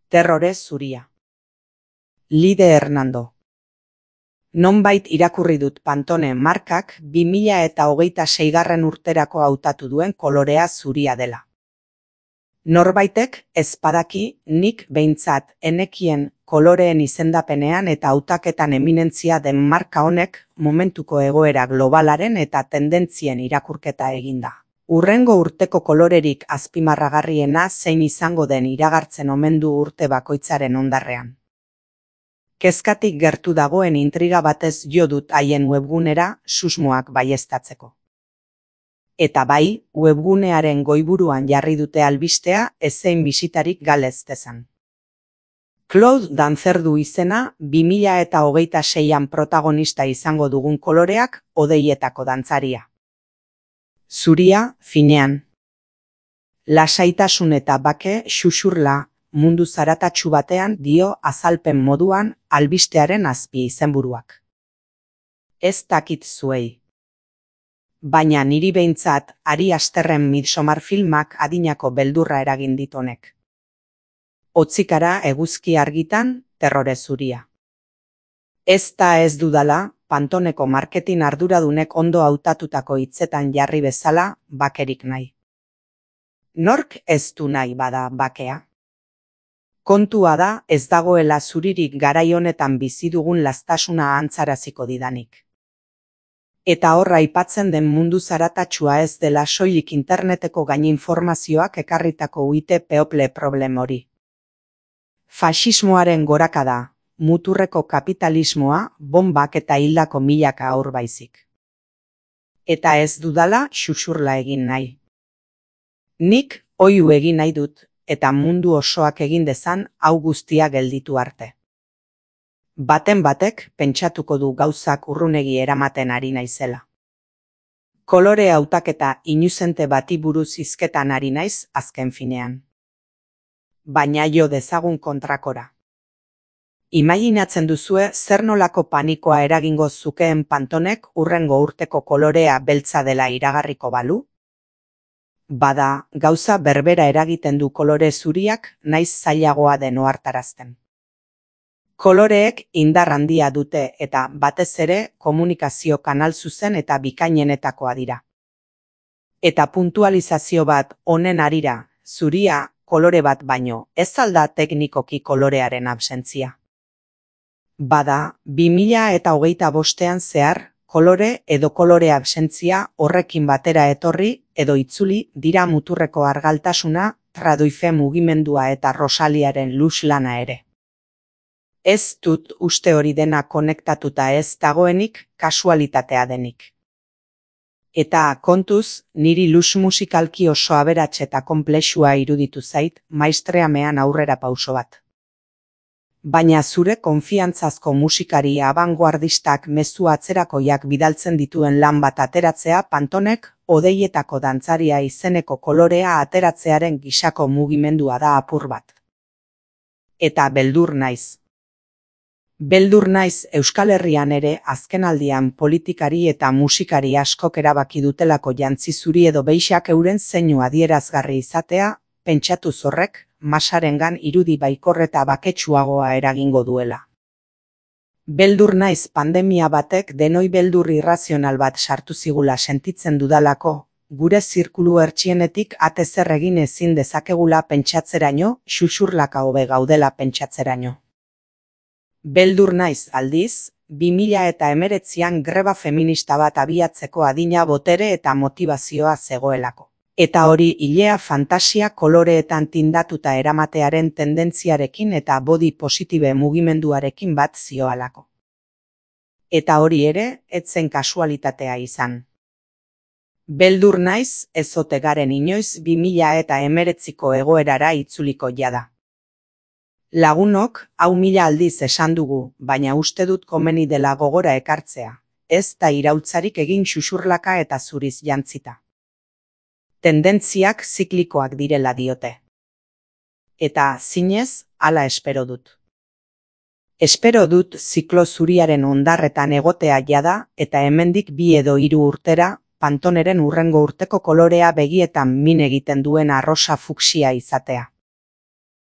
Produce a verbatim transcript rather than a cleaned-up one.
Terrore zuria. Lide Hernando. Nonbait irakurri dut Pantone markak bi mila eta hogeita seigarren urterako hautatu duen kolorea zuria dela. Norbaitek ez badaki nik behintzat enekien koloreen izendapenean eta hautaketan eminentzia den marka honek momentuko egoera globalaren eta tendentzien irakurketa eginda. Hurrengo urteko kolorerik azpimarragarriena zein izango den iragartzen omen du urte bakoitzaren hondarrean. Kezkatik gertu dagoen intriga batez jo dut haien webgunera susmoak baieztatzeko. Eta bai, webgunearen goiburuan jarri dute albistea ezein bisitarik galez dezan. Claude Dancer du izena bi mila eta hogeita seian protagonista izango dugun koloreak hodeietako dantzaria. Zuria, finean. Lasaitasun eta bake xuxurla mundu zaratatsu batean dio azalpen moduan albistearen azpi izenburuak. Ez dakit zuei. Baina niri behintzat Ari Asterren Midsommar filmak adinako beldurra eragin dit honek. Hotzikara eguzki argitan, terrore zuria. Ez da ez dudala, Pantoneko marketing arduradunek ondo hautatutako hitzetan jarri bezala bakerik nahi. Nork ez du nahi bada bakea? Kontua da ez dagoela zuririk garai honetan bizi dugun lastasuna antzaraziko didanik. Eta horra aipatzen den mundu zaratatsua ez dela soilik interneteko gaininformazioak ekarritako uite people problem hori. Faxismoaren gorakada, muturreko kapitalismoa, bombak eta hildako milaka haur baizik. Eta ez dudala xuxurla egin nahi. Nik oihu egin nahi dut, eta mundu osoak egin dezan hau guztia gelditu arte. Baten batek pentsatuko du gauzak urrunegi eramaten ari naizela. Kolore hautaketa inuzente bati buruz hizketan ari naiz azken finean. Baina jo dezagun kontrakora. Imaginatzen duzue zer nolako panikoa eragingo zukeen Pantonek hurrengo urteko kolorea beltza dela iragarriko balu? Bada, gauza berbera eragiten du kolore zuriak naiz zailagoa den ohartarazten. Koloreek indar handia dute eta batez ere komunikazio kanal zuzen eta bikainenetakoa dira. Eta puntualizazio bat honen harira, zuria kolore bat baino, ez alda teknikoki kolorearen absentzia. Bada, bi mila eta hogeita bostean zehar, kolore edo kolore absentzia horrekin batera etorri edo itzuli dira muturreko argaltasuna, traduife mugimendua eta Rosaliaren lux lana ere. Ez dut uste hori dena konektatuta ez dagoenik kasualitatea denik. Eta kontuz, niri lux musikalki oso aberats eta konplexua iruditu zait maistreamean aurrera pauso bat. Baina zure konfiantzazko musikari abangoardistak mezu atzerakoiak bidaltzen dituen lan bat ateratzea Pantonek hodeietako dantzaria izeneko kolorea ateratzearen gisako mugimendua da apur bat. Eta beldur naiz. Beldur naiz Euskal Herrian ere azkenaldian politikari eta musikari askok erabaki dutelako jantzi zuri edo beixak euren zeinu adierazgarri izatea, pentsatu zorrek, masarengan irudi baikor eta baketsuagoa eragingo duela. Beldur naiz pandemia batek denoi beldur irrazional bat sartu zigula sentitzen dudalako, gure zirkulu hertsienetik ate zer egin ezin dezakegula pentsatzeraino, xuxurlaka hobe gaudela pentsatzeraino. Beldur naiz aldiz, bi mila eta hemeretzian greba feminista bat abiatzeko adina botere eta motivazioa zegoelako. Eta hori ilea fantasia koloreetan tindatuta eramatearen tendentziarekin eta body positive mugimenduarekin bat zioalako. Eta hori ere, etzen kasualitatea izan. Beldur naiz, ez ote garen inoiz bi mila eta hemeretziko egoerara itzuliko jada. Lagunok, hau mila aldiz esan dugu, baina uste dut komeni dela gogora ekartzea, ez da iraultzarik egin xuxurlaka eta zuriz jantzita. Tendentziak ziklikoak direla diote. Eta zinez, hala espero dut. Espero dut ziklo zuriaren hondarretan egotea jada eta hemendik bi edo hiru urtera Pantoneren hurrengo urteko kolorea begietan min egiten duen arrosa fuksia izatea.